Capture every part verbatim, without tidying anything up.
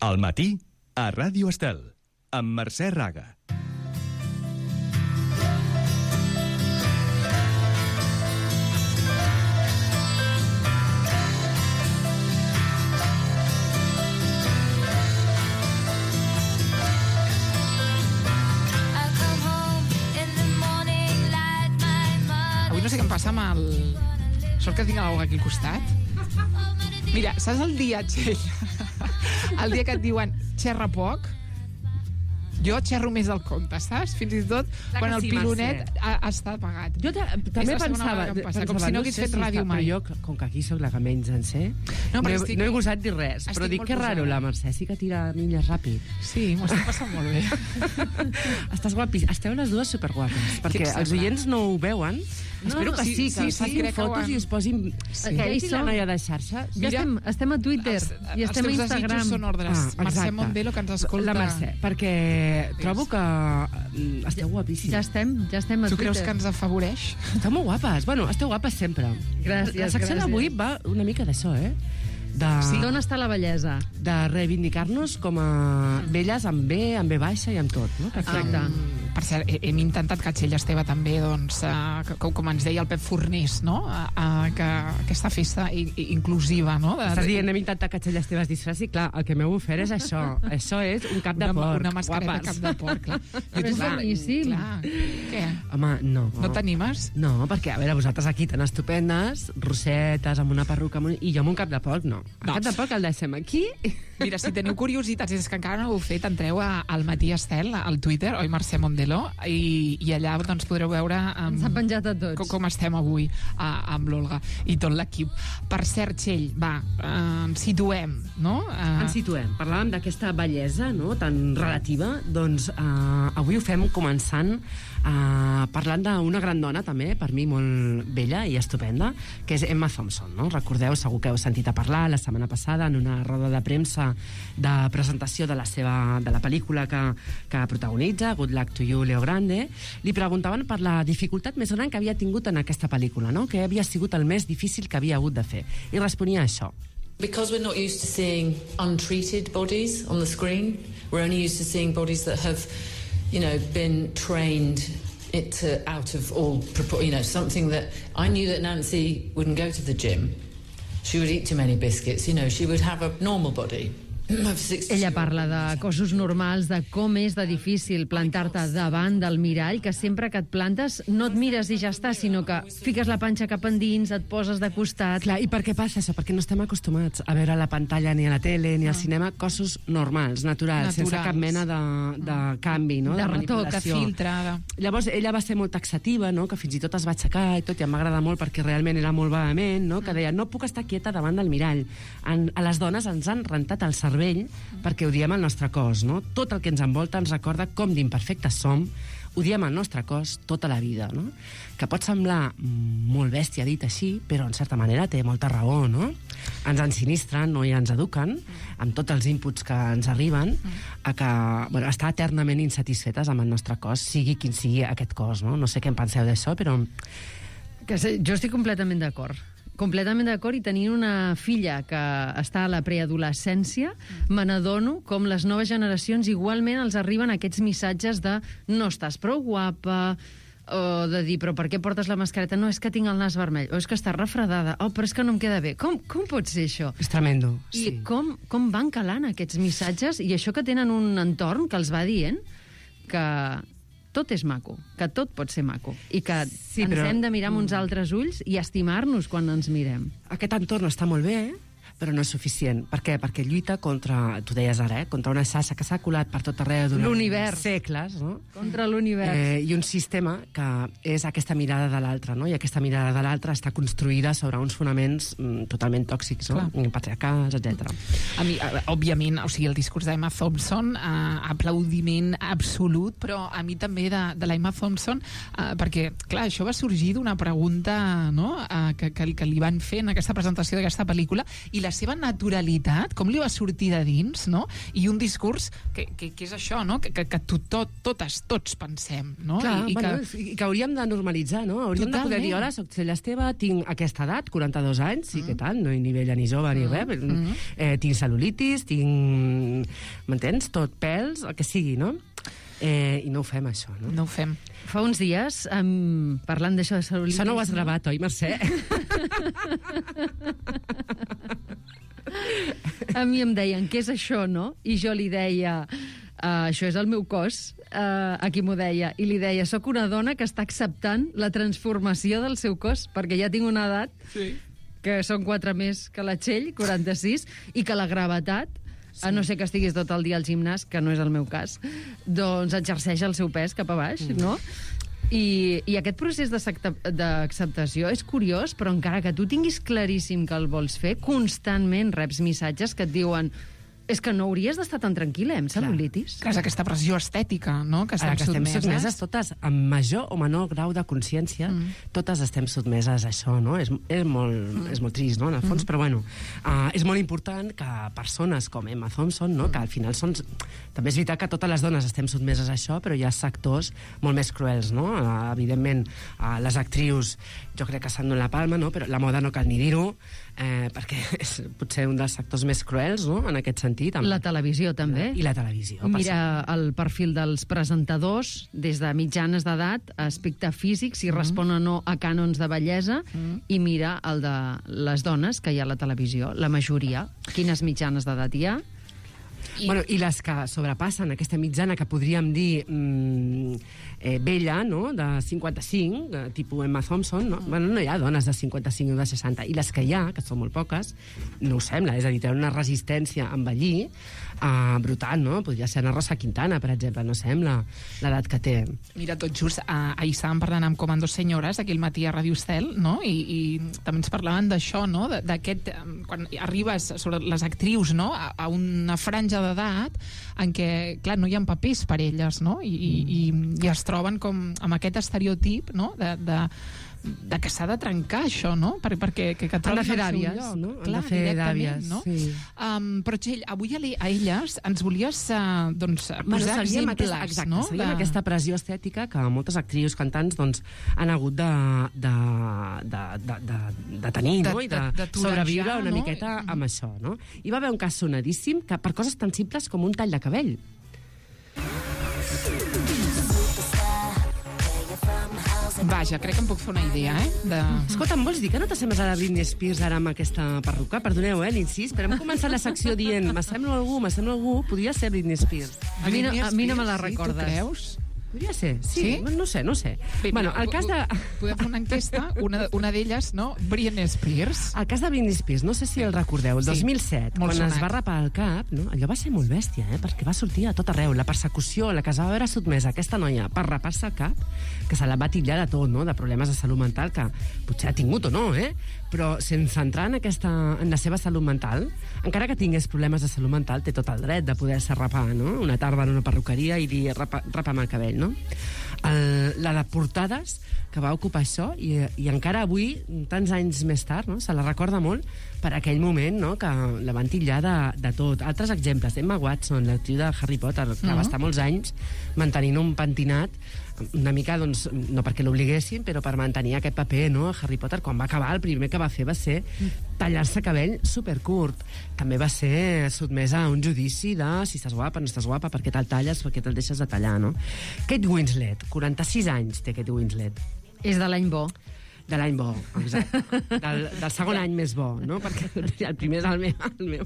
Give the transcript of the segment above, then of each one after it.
Al matí, a Ràdio Estel, amb Mercè Raga. Avui no sé què em passa amb el... Sort que tinc l'Olga aquí al costat. Mira, saps el dia, Txell? El dia que et diuen xerra poc, jo xerro més del compte, saps? Fins i tot Clar quan que el sí, pilonet Mercè. ha, està apagat. Jo ta- És també la segona pensava, vegada que em passa, pensava, com si no no hagués sé fet si ràdio està, mai. però jo, com que aquí sóc la que menys en sé, No, no, però he, estic- no he gosat dir res, estic però dic molt que raro, posada. la Mercè sí que tira milles ràpid. Sí, m'ho estic passant molt bé. Estàs guapis, esteu les dues superguapes, perquè em els sembla? oients no ho veuen. No, Espero que sí, sí, que sí, els sí, facin crec que ho fotos han- i es posin... Sí. Que Ja hi ell i la som. noia de xarxa. Ja Mira, estem, estem a Twitter Els, i estem a els teus Instagram. desitjos són ordres. Ah, Mercè exacte. Mondelo, que ens escolta. La Mercè, perquè trobo que mm, esteu guapíssimes. Ja estem, ja estem a Tu Twitter. creus que ens afavoreix? Esteu molt guapes. Bueno, esteu guapes sempre. Gràcies, La secció gràcies. d'avui va una mica d'això, eh? De, Sí. D'on està la bellesa? de reivindicar-nos com a velles amb B, amb B baixa i amb tot, no? Exacte. Um, per cert, he- hem intentat que Txell Esteve també, doncs, uh, com, com ens deia el Pep Fornés, no? Uh, uh, que aquesta festa i, i inclusiva, no? De, Estàs dient, hem intentat que Txell Esteve es disfressi? Clar, el que m'heu ofert és això. Això és un cap de una, porc. una mascareta guapes. cap de porc, clar. Però és clar, boníssim. clar. Què? Home, no. No t'animes? No, perquè, a veure, vosaltres aquí tan estupendes, rosetes, amb una perruca, amb un... i jo amb un cap de porc, no. El No. cap de porc el deixem aquí. Mira, si teniu curiositats, és que encara no ho heu fet, entreu a, al Matí Estel, al Twitter, oi, Mercè Mondelo, i, i allà doncs, podreu veure um, Ens ha penjat a tots. com, com estem avui a, amb l'Olga i tot l'equip. Per cert, Txell, va, eh, ens situem, no? Eh, Ens situem. Parlàvem d'aquesta bellesa, no?, tan relativa. Doncs eh, avui ho fem començant eh, parlant d'una gran dona, també, per mi molt bella i estupenda, que és Emma Thompson, no? Recordeu, segur que heu sentit a parlar la setmana passada en una roda de premsa de presentació de la seva de la pel·lícula que, que protagonitza, Good Luck to You, Leo Grande. Li preguntaven per la dificultat més gran que havia tingut en aquesta pel·lícula, no?, que havia sigut el més difícil que havia hagut de fer. I responia això. Because we're not used to seeing untreated bodies on the screen, we're only used to seeing bodies that have, you know, been trained it to, out of all, propor- you know, something that I knew that Nancy wouldn't go to the gym. She would eat too many biscuits, you know, she would have a normal body. Ella parla de cossos normals, de com és de difícil plantar-te davant del mirall, que sempre que et plantes no et mires i ja està, sinó que fiques la panxa cap endins, et poses de costat. Clar, i per què passa això? Perquè no estem acostumats a veure a la pantalla, ni a la tele, ni al cinema, cossos normals, naturals, Naturals. sense cap mena de, de canvi, no? De retoc, que manipulació. filtra. De... Llavors, ella va ser molt taxativa, no?, que fins i tot es va aixecar i tot, i em va agradar molt perquè realment era molt vehement, no?, que deia, no puc estar quieta davant del mirall. En, a les dones ens han rentat el cervell perquè odiem el nostre cos, no? Tot el que ens envolta ens recorda com d'imperfectes som, odiem el nostre cos tota la vida, no? Que pot semblar molt bèstia dit així, però en certa manera té molta raó, no? Ens ensinistren, no?, i ens eduquen amb tots els inputs que ens arriben a que, bueno, estar eternament insatisfetes amb el nostre cos, sigui quin sigui aquest cos, no? No sé què en penseu d'això, però... Que sé, jo estic completament d'acord. Completament d'acord, i tenint una filla que està a la preadolescència, me n'adono com les noves generacions igualment els arriben aquests missatges de no estàs prou guapa, o de dir, però per què portes la mascareta? No, és que tinc el nas vermell, o és que estàs refredada, oh, però és que no em queda bé. Com, com pot ser això? És tremendo, I sí. com, com van calant aquests missatges, i això que tenen un entorn que els va dient que tot és maco, que tot pot ser maco, i que Sí, ens però- hem de mirar amb uns altres ulls i estimar-nos quan ens mirem. Aquest entorn està molt bé, però no és suficient. Per què? Perquè lluita contra, tu deies ara, eh? contra una xarxa que s'ha colat per tot arreu durant L'univers. segles, no? Contra l'univers. Eh, I un sistema que és aquesta mirada de l'altre, no? I aquesta mirada de l'altre està construïda sobre uns fonaments mm, totalment tòxics, no? Patriarcals, etcètera. A mi, eh, òbviament, o sigui, el discurs d'Emma Thompson, eh, aplaudiment absolut, però a mi també de, de l'Emma Thompson, eh, perquè, clar, això va sorgir d'una pregunta, no?, eh, que, que, que li van fer en aquesta presentació d'aquesta pel·lícula, i la la seva naturalitat, com li va sortir de dins, no? I un discurs que, que, que és això, no? Que, que, que tot, tot, totes, tots pensem, no? Clar, I, i bueno, que... i que hauríem de normalitzar, no? Hauríem Totalment. de poder dir, hola, soc Txell Esteve, tinc aquesta edat, quaranta-dos anys, sí, mm. què tal? No hi ni vella ni jove ni res. Mm. Eh, tinc cel·lulitis, tinc... M'entens? Tot, pèls, el que sigui, no? Eh, I no ho fem, això, no? No ho fem. Fa uns dies, um, parlant d'això de cel·lulitis... Això no ho has gravat, oi, Mercè? A mi em deien, què és això, no? I jo li deia, uh, això és el meu cos, uh, a qui m'ho deia, i li deia, soc una dona que està acceptant la transformació del seu cos, perquè ja tinc una edat, sí, que són quatre més que la Txell, quaranta-sis, i que la gravetat, sí, a no ser que estiguis tot el dia al gimnàs, que no és el meu cas, doncs exerceix el seu pes cap a baix, mm. no? I, i aquest procés d'acceptació és curiós, però encara que tu tinguis claríssim que el vols fer, constantment reps missatges que et diuen és que no hauries d'estar tan tranquil·la, amb cel·lulitis. Clar, és aquesta pressió estètica, no?, que estem, Ara, que estem sotmeses. sotmeses totes, amb major o menor grau de consciència, mm. totes estem sotmeses a això, no? És, és, molt, mm. és molt trist, no?, en el fons, mm. però bueno, uh, és molt important que persones com Emma Thompson, no?, mm. que al final són... També és veritat que totes les dones estem sotmeses a això, però hi ha sectors molt més cruels, no? Uh, evidentment, uh, les actrius, jo crec que s'han donat la palma, no?, però la moda no cal ni dir-ho, eh, perquè és potser un dels sectors més cruels, no?, en aquest sentit. Amb... La televisió, també. I la televisió. Mira el perfil dels presentadors, des de mitjanes d'edat, aspecte físic, si mm. respon o no a cànons de bellesa, mm. i mira el de les dones que hi ha a la televisió, la majoria. Quines mitjanes d'edat hi ha? I... Bueno, i les que sobrepassen aquesta mitjana que podríem dir mm, eh, vella, no?, de cinquanta-cinc, eh, tipus Emma Thompson, no? Bueno, no hi ha dones de cinquanta-cinc o de seixanta, i les que hi ha, que són molt poques, no ho sembla, és a dir, tenen una resistència a envellir uh, brutal, no? Podria ser Ana Rosa Quintana, per exemple, no sembla l'edat que té. Mira, tot just, uh, ahir estàvem parlant amb Comando Senyores, aquí al matí a Radio Estel, no?, i, i també ens parlaven d'això, no?, d'aquest, um, quan arribes sobre les actrius, no?, a, a una franja d'edat en què, clar, no hi ha papers per elles, no?, i, i, i es troben com amb aquest estereotip, no?, de, de, de que s'ha de trencar això, no?, per, perquè que, que han de fer el seu d'àvies, lloc. no? Clar, Han de fer d'àvies, no? sí. Um, però, Txell, avui a, a elles ens volies uh, doncs, posar seguim exemples, aquesta, exacte, no? seguim de... aquesta pressió estètica que moltes actrius cantants doncs, han hagut de, de, de, de, de, de tenir, de, no? I de, de, de sobreviure una no? miqueta amb això, no? Hi va haver un cas sonadíssim que per coses tan simples com un tall de cabell. Vaja, crec que em puc fer una idea, eh? De... Escolta, em vols dir que no t'assembles a la Britney Spears ara amb aquesta perruca? Perdoneu, eh, l'incís, però hem començat la secció dient m'assemblo a algú, m'assemblo a algú, podria ser Britney Spears. A mi no, a mi no me la Sí, recordes. tu creus? Podria ser, sí, Sí? no sé, no sé. Bé, Bueno, mira, el cas de... Podem fer una enquesta, una, una d'elles, no? Britney Spears. El cas de Britney Spears, no sé si el recordeu, el Sí, dos mil set, molt quan sonat. es va rapar el cap, no? Allò va ser molt bèstia, eh? Perquè va sortir a tot arreu. La persecució, la que es va veure sotmesa aquesta noia per rapar-se el cap, que se la va titllar de tot, no?, de problemes de salut mental, que potser ha tingut o no, eh? Però sense entrar en, aquesta, en la seva salut mental, encara que tingués problemes de salut mental, té tot el dret de poder-se rapar, no?, una tarda en una perruqueria i dir rapa, rapa'm el cabell, no? El, la de portades que va ocupar això, i, i encara avui, tants anys més tard, no?, se la recorda molt per aquell moment, no?, que la van titllar de, de tot. Altres exemples, Emma Watson, l'actriu de Harry Potter, que uh-huh. va estar molts anys mantenint un pentinat una mica, doncs, no perquè l'obliguessin, però per mantenir aquest paper, no?, a Harry Potter. Quan va acabar, el primer que va fer va ser tallar-se cabell supercurt. També va ser sotmesa a un judici de si estàs guapa, no estàs guapa, per què te'l talles, per què te'l deixes de tallar, no? Kate Winslet, quaranta-sis anys té Kate Winslet. És de l'any bo. De l'any bo, exacte. Del, del segon any més bo, no? Perquè el primer és el meu. El meu.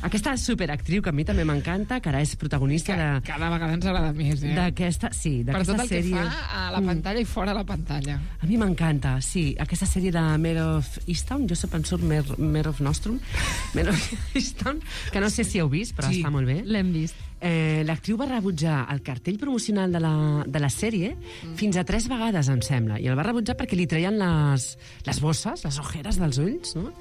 Aquesta superactriu, que a mi també m'encanta, que ara és protagonista de... Cada vegada ens agrada més, eh? D'aquesta, sí, per d'aquesta tot el sèrie... que fa a la pantalla mm. i fora la pantalla. A mi m'encanta, sí. Aquesta sèrie de Mare of Easttown, jo sempre em surt Mare, Mare of Nostrum, Mare of Easttown, que no sé si heu vist, però sí. Està molt bé. L'hem vist. Eh, L'actriu va rebutjar el cartell promocional de la, de la sèrie mm. fins a tres vegades, em sembla, i el va rebutjar perquè li treien les, les bosses, les ojeres dels ulls, no?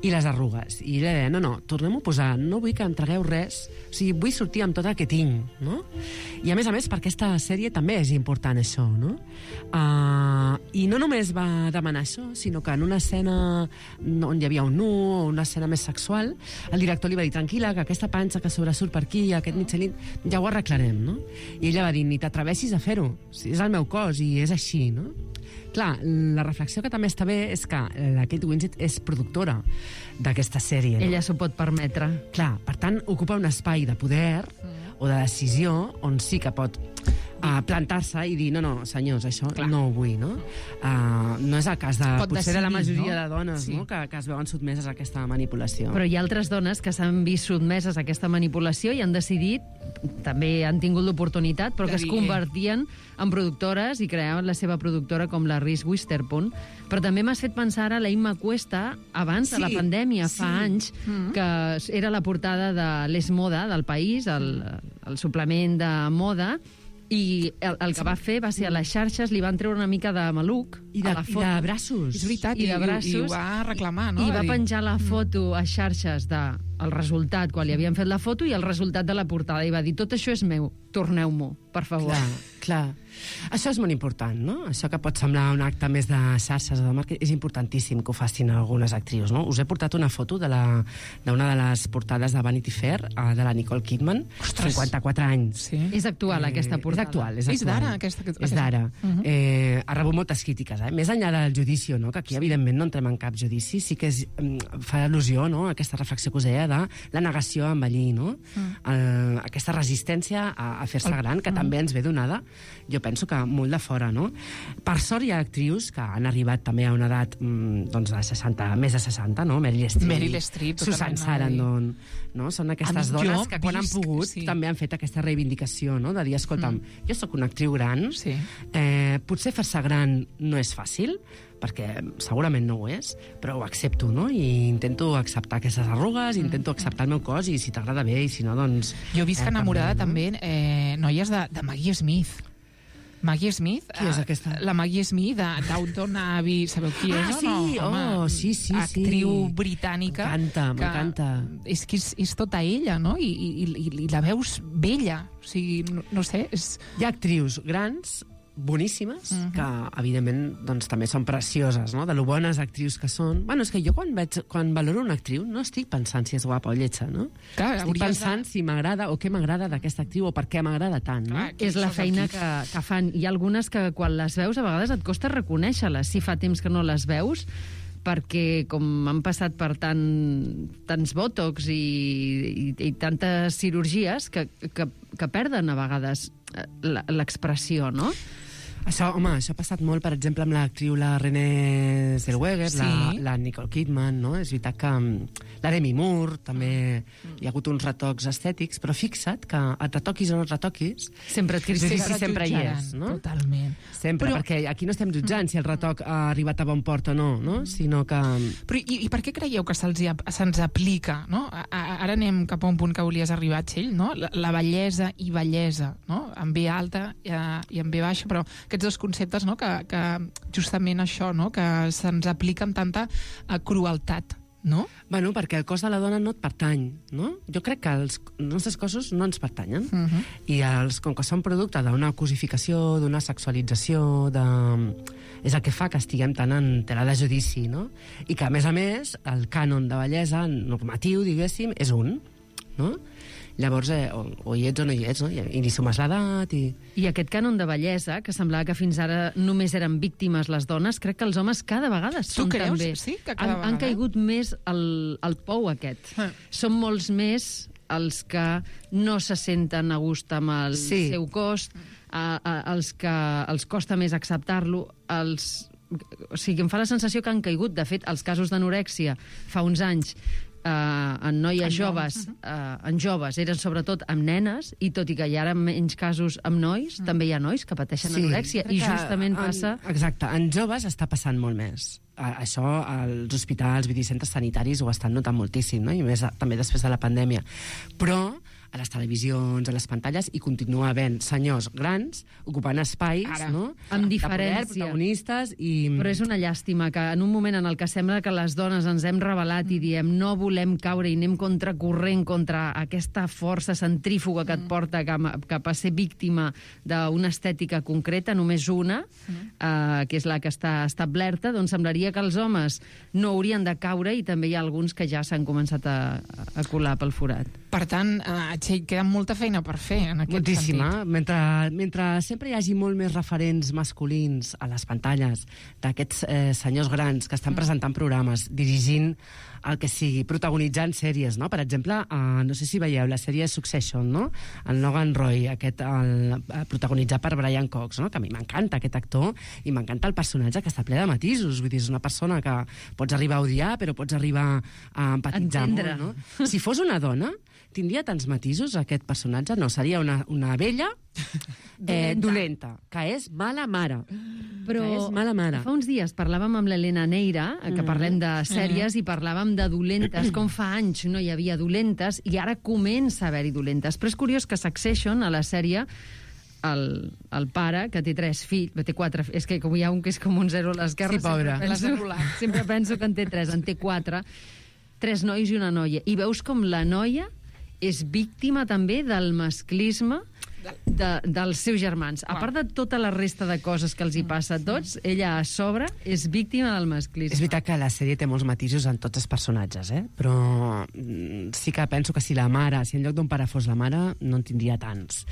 I les arrugues. I ella deia, no, no, tornem-ho a posar, no vull que em tragueu res, o sigui, vull sortir amb tot el que tinc, no? I a més a més, per aquesta sèrie també és important això, no? Uh, I no només va demanar això, sinó que en una escena on hi havia un nu o una escena més sexual, el director li va dir, tranquil·la, que aquesta panxa que sobresurt per aquí, aquest mitjanit, ja ho arreglarem, no? I ella va dir, ni t'atreveixis a fer-ho, si és el meu cos i és així, no? Clar, la reflexió que també està bé és que la Kate Winslet és productora d'aquesta sèrie, no? Ella s'ho pot permetre. Clar, per tant, ocupa un espai de poder o de decisió on sí que pot uh, plantar-se i dir, no, no, senyors, això Clar. no ho vull, no? Uh, no és el cas de, pot potser decidir, de la majoria no? de dones, sí. no? que, que es veuen sotmeses a aquesta manipulació. Però hi ha altres dones que s'han vist sotmeses a aquesta manipulació i han decidit, també han tingut l'oportunitat, però que es convertien en productores i creaven la seva productora com la Reese Witherspoon. Però també m'has fet pensar ara la Imma Cuesta, abans sí, de la pandèmia, fa sí. anys, mm-hmm. que era la portada de l'Es Moda, del País, el, el suplement de moda, i el, el que va fer va ser a les xarxes, li van treure una mica de maluc I de, a la foto. I de braços. És veritat, I, i, de braços, i ho va reclamar, no? I va dir... penjar la foto a xarxes de el resultat, quan li havien fet la foto, i el resultat de la portada, i va dir, tot això és meu, torneu-m'ho, per favor. Clar, clar. Això és molt important, no? Això que pot semblar un acte més de xarxes o de màrqueting, és importantíssim que ho facin algunes actrius, no? Us he portat una foto d'una de, de les portades de Vanity Fair, de la Nicole Kidman, Ostres. cinquanta-quatre anys. Sí. És actual, eh, aquesta portada. És actual, és actual. És d'ara, aquesta... aquesta... És d'ara. Uh -huh. eh, ha rebut moltes crítiques, eh? Més enllà del judici, no? Que aquí, evidentment, no entrem en cap judici, sí que és, fa al·lusió, no?, a aquesta reflexió que us deia de la negació a envellir, no? Uh. El, aquesta resistència a, a fer-se gran, que uh -huh. també ens ve donada, jo penso que molt de fora, no? Per sort hi ha actrius que han arribat també a una edat doncs de seixanta, més de seixanta, no? Meryl Streep, Meryl Streep Susan Sarandon, no? Són aquestes Amb dones jo que quan han visc, pogut sí. també han fet aquesta reivindicació, no? De dir, escolta'm, mm. jo sóc una actriu gran, sí. eh, potser fer-se gran no és fàcil, perquè segurament no ho és, però ho accepto, no? I intento acceptar aquestes arrugues, mm. intento acceptar el meu cos, i si t'agrada bé, i si no, doncs... Jo visc eh, enamorada també, no? també, eh, noies de, de Maggie Smith. Maggie Smith. Qui és aquesta? La Maggie Smith de Downton Abbey, sabeu qui ah, és sí, o no? Home, oh, sí, sí, actriu sí. britànica. M'encanta, m'encanta. És que és, és tota ella, no? I, i, i, i la veus vella. O sigui, no, no sé, és... Hi ha actrius grans, boníssimes, uh-huh. que, evidentment, doncs, també són precioses, no?, de lo bones actrius que són. Bueno, és que jo quan, veig, quan valoro una actriu no estic pensant si és guapa o lletja, no? Clar, estic pensant de... si m'agrada o què m'agrada d'aquesta actriu o per què m'agrada tant, no? Clar, És la feina que, que fan. Hi ha algunes que quan les veus a vegades et costa reconèixer-les, si fa temps que no les veus, perquè com han passat per tant, tants botox i, i, i tantes cirurgies que, que, que perden a vegades l'expressió, no? Això, home, això ha passat molt, per exemple, amb l'actriu la Renée Zellweger, sí. la, la Nicole Kidman, no? És veritat que la Demi Moore també hi ha hagut uns retocs estètics, però fixa't que et retoquis o no et retoquis, sempre et critiquen. sí, sempre hi és, no? Totalment. Sempre, però... perquè aquí no estem jutjant si el retoc ha arribat a bon port o no, no? Sinó que... Però i, i per què creieu que se'ls se'ns aplica, no? A, a, ara anem cap a un punt que volies arribar, Txell, no? La, la bellesa i bellesa, no? En B alta i, i en B baixa, però aquests dos conceptes, no? Que, que justament això, no? Que se'ns aplica amb tanta uh, crueltat, no? Bueno, perquè el cos de la dona no et pertany, no? Jo crec que els nostres cossos no ens pertanyen. Uh -huh. I els, com que són producte d'una cosificació, d'una sexualització, de... és el que fa que estiguem tan en tela de judici, no? I que, a més a més, el cànon de bellesa normatiu, diguéssim, és un, no? Llavors, eh, o, o hi ets o no hi ets, no? I, i ni sumes l'edat, i... I aquest cànon de bellesa, que semblava que fins ara només eren víctimes les dones, crec que els homes cada vegada són creus? també. Sí, que cada han, vegada? han caigut més al, al pou aquest. Ah. Són molts més els que no se senten a gust amb el Sí. seu cos, a, a, els que els costa més acceptar-lo, els... O sigui, em fa la sensació que han caigut. De fet, els casos d'anorèxia fa uns anys Uh, en noies en joves, uh uh, en joves eren sobretot amb nenes, i tot i que hi ha ara menys casos amb nois, mm. també hi ha nois que pateixen sí, anorèxia, i justament en, passa... Exacte, en joves està passant molt més. A, això als hospitals, vull dir, centres sanitaris ho estan notant moltíssim, no? I més també després de la pandèmia. Però a les televisions, a les pantalles, i continua havent senyors grans ocupant espais, Ara, no? amb De diferència. poder, protagonistes i... Però és una llàstima que en un moment en el que sembla que les dones ens hem rebel·lat i diem no volem caure i anem contracorrent contra aquesta força centrífuga que et porta cap, cap a ser víctima d'una estètica concreta, només una, eh, que és la que està establerta, doncs semblaria que els homes no haurien de caure i també hi ha alguns que ja s'han començat a, a colar pel forat. Per tant, eh, Txell, queda molta feina per fer en aquest Moltíssima. sentit. Mentre, mentre sempre hi hagi molt més referents masculins a les pantalles d'aquests eh, senyors grans que estan presentant programes, dirigint el que sigui, protagonitzant sèries, no? Per exemple, eh, no sé si veieu la sèrie Succession, no? El Logan Roy, aquest, el, eh, protagonitzat per Brian Cox, no? Que a mi m'encanta aquest actor i m'encanta el personatge, que està ple de matisos. Vull dir, és una persona que pots arribar a odiar, però pots arribar a empatitzar Entendre. molt, no? Si fos una dona, tindria tants matisos aquest personatge? No, seria una, una vella eh, dolenta, que és mala mare. Però Que és mala mare. fa uns dies parlàvem amb l'Helena Neira, que parlem de sèries, i parlàvem de dolentes, com fa anys no hi havia dolentes, i ara comença a haver-hi dolentes. Però és curiós que Succession, a la sèrie, el, el pare, que té tres fills, té quatre, és que com hi ha un que és com un zero a l'esquerra, Sí, pobre. sempre L'has penso, anul·lat. sempre penso que en té tres, en té quatre, tres nois i una noia. I veus com la noia és víctima també del masclisme de, dels seus germans. A part de tota la resta de coses que els hi passa a tots, ella a sobre és víctima del masclisme. És veritat que la sèrie té molts matisos en tots els personatges, eh? Però mm, sí que penso que si la mare, si en lloc d'un pare fos la mare, no en tindria tants.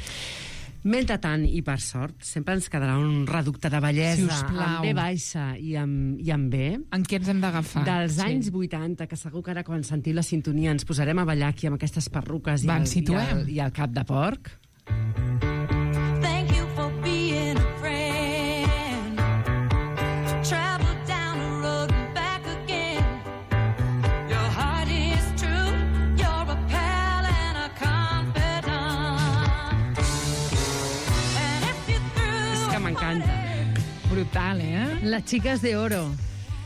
Mentrestant, i per sort, sempre ens quedarà un reducte de bellesa Sisplau. amb B baixa i amb, i amb B, En què ens hem d'agafar? dels Txell? anys vuitanta, que segur que ara quan sentiu la sintonia ens posarem a ballar aquí amb aquestes perruques i, Va, el, ens i, situem. el, i el cap de porc. Thank you for being a friend. Travel down the road and back again. Your heart is true. You're a pal and a confidant. And if you És threw que m'encanta. Brutal, eh? Las chicas de oro.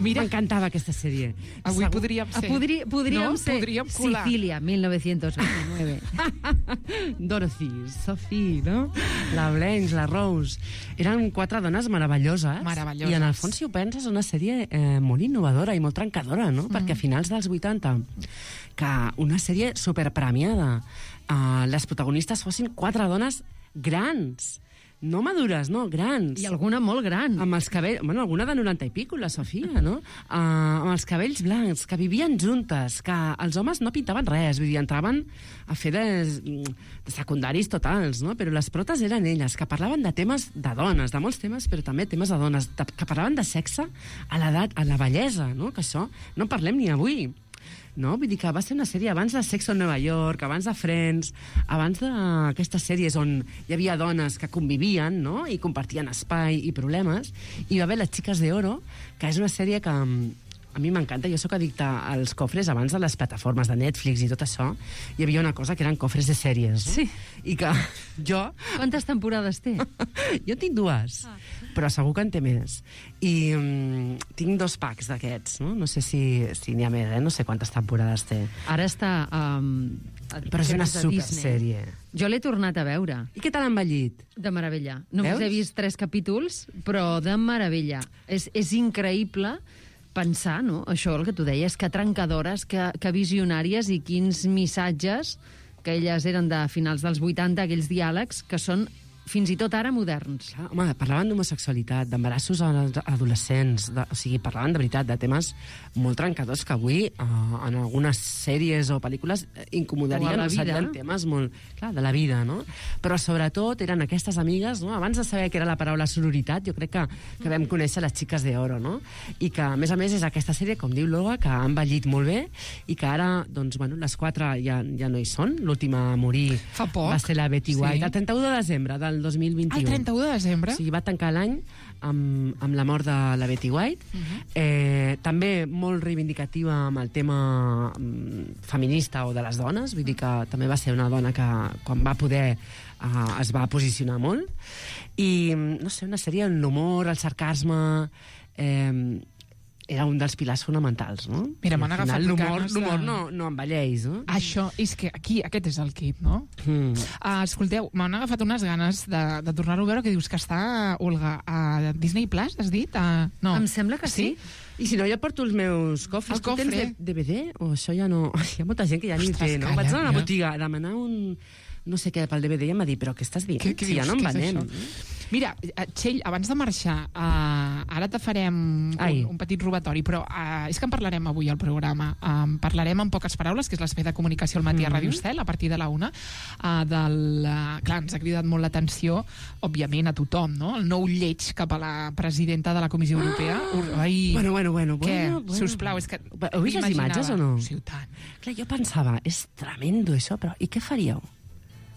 Mira, M'encantava aquesta sèrie. avui Segur- podríem Ah, ser. podri, podríem no? ser Podríem colar. Sicilia, mil novecientos veintinueve. Dorothy, Sophie, no? La Blanche, la Rose. Eren quatre dones meravelloses. Meravelloses. I en el fons, si ho penses, una sèrie eh, molt innovadora i molt trencadora, no? Mm. Perquè a finals dels vuitanta, que una sèrie superpremiada, eh, les protagonistes fossin quatre dones grans. No madures, no, grans. I alguna molt gran. Amb els cabells... Bueno, alguna de noranta i pico, la Sofia, no? Uh, amb els cabells blancs, que vivien juntes, que els homes no pintaven res, vull dir, entraven a fer de, de secundaris totals, no? Però les protes eren elles, que parlaven de temes de dones, de molts temes, però també temes de dones, de, que parlaven de sexe a l'edat, a la bellesa, no? Que això no en parlem ni avui. No? Vull dir que va ser una sèrie abans de Sex on Nova York, abans de Friends, abans d'aquestes sèries on hi havia dones que convivien, no? I compartien espai i problemes, i hi va haver Les Chicas de Oro, que és una sèrie que a mi m'encanta. Jo sóc addicta als cofres abans de les plataformes de Netflix i tot això. Hi havia una cosa que eren cofres de sèries, no? Sí. I que jo... Quantes temporades té? Jo tinc dues, ah. però segur que en té més. I um, tinc dos packs d'aquests, no? No sé si, si n'hi ha més, eh? No sé quantes temporades té. Ara està... Um, Però és una supersèrie. Jo l'he tornat a veure. I què tal ha envellit? De meravella. Només Veus? he vist tres capítols, però de meravella. És, és increïble pensar, no?, això, el que tu deies, que trencadores, que, que visionàries i quins missatges, que elles eren de finals dels vuitanta, aquells diàlegs, que són fins i tot ara moderns. Clar, home, parlaven d'homosexualitat, d'embarassos als adolescents, de, o sigui, parlaven de veritat de temes molt trencadors que avui eh, en algunes sèries o pel·lícules eh, incomodarien, O a la o serien vida. temes molt, clar, de la vida, no? Però sobretot eren aquestes amigues, no? Abans de saber què era la paraula sororitat, jo crec que, que vam conèixer Les Chicas de Oro, no? I que, a més a més, és aquesta sèrie, com diu l'Olga, que ha envellit molt bé i que ara, doncs, bueno, les quatre ja, ja no hi són. L'última a morir Fa poc. va ser la Betty Sí. White, el trenta-u de desembre del dos mil vint-i-u. El trenta-u de desembre? O sigui, va tancar l'any amb, amb la mort de la Betty White. Uh -huh. eh, també molt reivindicativa amb el tema mm, feminista o de les dones. Vull dir que també va ser una dona que, quan va poder, eh, es va posicionar molt. I, no sé, una sèrie en l'humor, el sarcasme... Eh, era un dels pilars fonamentals, no? Mira, I m'han al agafat final l'humor ganes de- l'humor no, no envelleix, no? Això, és que aquí, aquest és el kit, no? Mm. Uh, escolteu, m'han agafat unes ganes de, de tornar-ho a veure, que dius que està, Olga, a Disney Plus, has dit? Uh, no. Em sembla que sí. I si no, jo porto els meus cofres. El Tu tens cofre. D V D? O això ja no... Hi ha molta gent que ja ni Ostres, té, no? calla, Vaig anar a ja. una botiga a demanar un... no sé què pel D V D i em va dir, però què estàs dient? Què- què si ja dius? no en Què és venem. això? Mira, eh, Txell, abans de marxar, uh, ara te farem Ai. un, un petit robatori, però uh, és que en parlarem avui al programa. Um, parlarem en poques paraules, que és l'espai de comunicació al matí a Ràdio Estel, a partir de la una. Uh, del, uh, clar, ens ha cridat molt l'atenció, òbviament, a tothom, no? El nou lleig cap a la presidenta de la Comissió Europea. Ah! Ai, Bueno, bueno, bueno. què? bueno, bueno. Sisplau, és que... Heu vist les m'imaginava. imatges o no? Sí, tant. Clar, jo pensava, és tremendo això, però i què faríeu?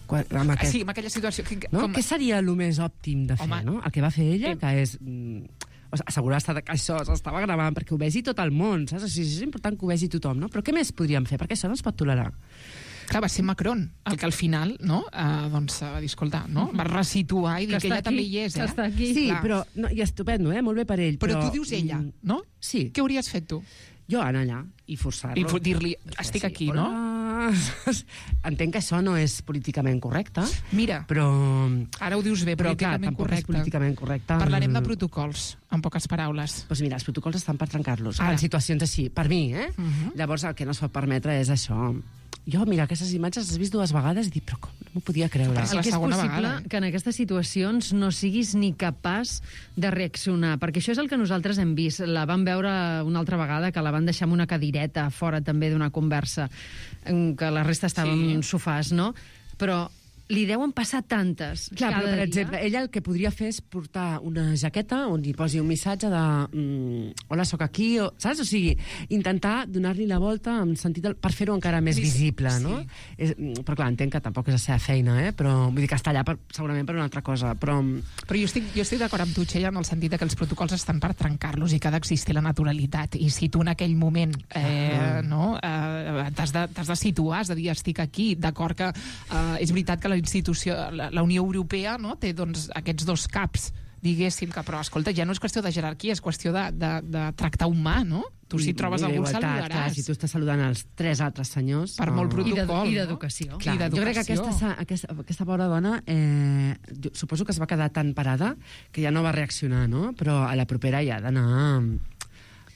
Quan, amb Ah, aquest... sí, amb aquella situació... Que, No? com... Què seria el més òptim de fer, Home, no? El que va fer ella, eh, que és... Mm, o sigui, assegurar-se de que això s'estava gravant perquè ho vegi tot el món, saps? O sigui, és important que ho vegi tothom, no? Però què més podríem fer? Perquè això no es pot tolerar. Clar, va ser Macron, el que al final, no?, uh, doncs, va dir, escolta, no?, va resituar i dir que, està ella aquí, també hi és, que eh? està aquí. Sí, clar. però... No, I estupendo, eh? Molt bé per ell. Però Però, tu dius ella, mm, no? Sí. Què hauries fet tu? Jo anar allà i forçar-lo. I fo- dir-li, estic aquí, no? Entenc que això no és políticament correcte, Mira, però... ara ho dius bé, Però, clar, políticament tampoc és correcte. políticament correcte. Parlarem de protocols, en poques paraules. Doncs mira, els protocols estan per trencar-los. Ara. En situacions així, per mi, eh? Uh -huh. Llavors, el que no es pot permetre és això. Jo, mira, aquestes imatges les he vist dues vegades i dic, però com? No m'ho podia creure. És I la que és segona possible vegada, eh? que en aquestes situacions no siguis ni capaç de reaccionar, perquè això és el que nosaltres hem vist. La vam veure una altra vegada, que la van deixar amb una cadireta fora també d'una conversa, en que la resta estava Sí. en sofàs, no? Però li deuen passar tantes Clar, cada però, per dia. exemple, ella el que podria fer és portar una jaqueta on hi posi un missatge de mm, hola, sóc aquí, o, saps? O sigui, intentar donar-li la volta en sentit del, per fer-ho encara més Sí, visible, sí. no? És, mm, però clar, entenc que tampoc és la seva feina, eh? Però vull dir que està allà per, segurament per una altra cosa, però... Però jo estic, jo estic d'acord amb tu, Txell, en el sentit de que els protocols estan per trencar-los i que ha d'existir la naturalitat. I si tu en aquell moment eh, no, eh, t'has de, t'has de situar, has de dir estic aquí, d'acord que eh, és veritat que la institució, la, la Unió Europea, no, té doncs, aquests dos caps, diguéssim, que, però escolta, ja no és qüestió de jerarquia, és qüestió de, de, de tractar humà, no? Tu si I- trobes i algú el d'igualtat, clar, saludaràs. si tu estàs saludant els tres altres senyors... Per molt oh. I protocol, d'edu- I no? d'educació. Clar, I jo crec que d'educació. aquesta, aquesta, aquesta pobra dona eh, jo suposo que es va quedar tan parada que ja no va reaccionar, no? Però a la propera ja ha d'anar amb,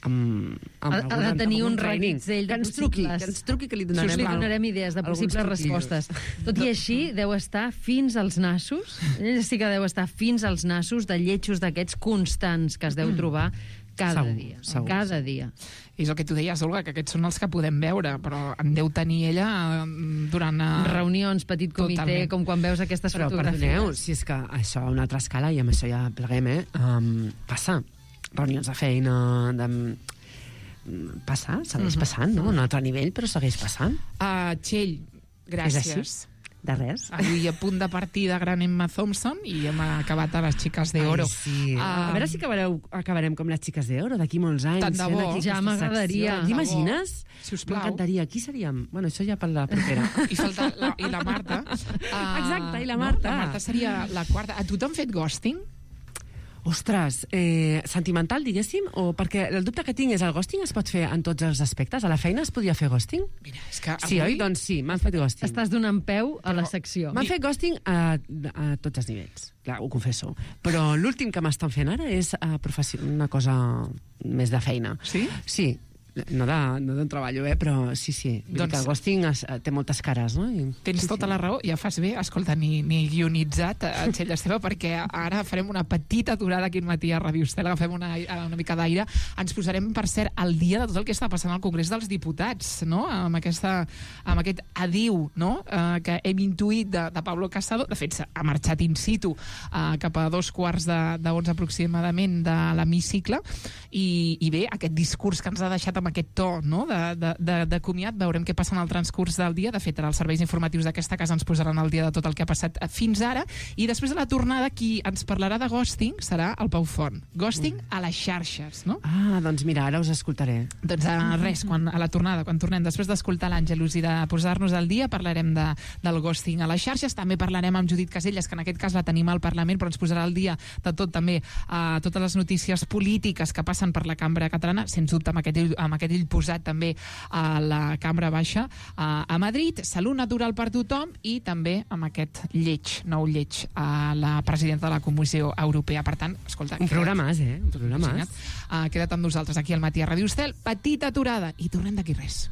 amb, amb Ha- ha algun- de tenir amb un training. reguitzell de que ens truqui, possibles- que ens truqui que li Us donarem, li al- donarem idees de alguns possibles truquillos. respostes. Tot i així, deu estar fins als nassos. Ell sí que deu estar fins als nassos de lletjos d'aquests constants que es deu trobar cada Segur, dia. segur, cada dia. És el que tu deies, Olga, que aquests són els que podem veure, però en deu tenir ella eh, durant... eh, Reunions, petit comitè, Totalment. com quan veus aquestes Però fotografies. perdoneu, si és que això a una altra escala, i amb això ja pleguem, eh? Um, passa. Reunions de feina, de... Passa, segueix Mhm. passant, no? A un altre nivell, però segueix passant. Uh, Txell, És així? gràcies. De res. Avui a punt de partir de gran Emma Thompson i hem acabat a les xiques d'oro. Ai, sí. Ah, a veure si acabareu, acabarem com les xiques d'oro d'aquí molts anys. Tant de fent bo. aquí Ja aquesta m'agradaria. secció. T'imagines? Sisplau. M'encantaria. Qui seríem? Bueno, això ja per la propera. I falta la, i la Marta. Uh, Exacte, i la Marta. No? La Marta seria la quarta. A tu t'han fet ghosting? Ostres, eh, sentimental, diguéssim? O perquè el dubte que tinc és el ghosting es pot fer en tots els aspectes? A la feina es podia fer ghosting? Mira, és que Sí, avui... oi? Doncs sí, m'han fet ghosting. Estàs donant peu a la secció. M'han fet ghosting a, a tots els nivells, clar, ho confesso. Però l'últim que m'estan fent ara és a professió, una cosa més de feina. Sí? Sí, no de, no de treballo, eh? Però sí, sí. Vull Doncs- dir que el ghosting es, té moltes cares, no? I, Tens sí, tota sí. la raó, ja fas bé, escolta, ni, ni guionitzat a Txell Esteve, perquè ara farem una petita aturada aquí al matí a Ràdio Estel, agafem una, una mica d'aire, ens posarem, per cert, al dia de tot el que està passant al Congrés dels Diputats, no? Amb, aquesta, amb aquest adiu, no? Uh, que hem intuït de, de Pablo Casado, de fet, ha marxat in situ uh, cap a dos quarts de, de onze aproximadament de l'hemicicle, i, i bé, aquest discurs que ens ha deixat amb amb aquest to, no?, de, de, de, de comiat. Veurem què passa en el transcurs del dia. De fet, els serveis informatius d'aquesta casa ens posaran al dia de tot el que ha passat fins ara. I després de la tornada, qui ens parlarà de ghosting serà el Pau Font. Ghosting a les xarxes, no? Ah, doncs mira, ara us escoltaré. Doncs uh, res, quan, a la tornada, quan tornem, després d'escoltar l'Àngelus i de posar-nos al dia, parlarem de, del ghosting a les xarxes. També parlarem amb Judit Casellas, que en aquest cas la tenim al Parlament, però ens posarà al dia de tot també, uh, totes les notícies polítiques que passen per la cambra catalana, sens dubte amb aquest, amb aquest ell posat també a la cambra baixa uh, a Madrid, salut natural per tothom i també amb aquest lleig, nou lleig a la presidenta de la Comissió Europea. Per tant, escolta... Un programàs, eh? Un programàs. Uh, queda't amb nosaltres aquí al Matí a Ràdio Estel. Petita aturada i tornem d'aquí res.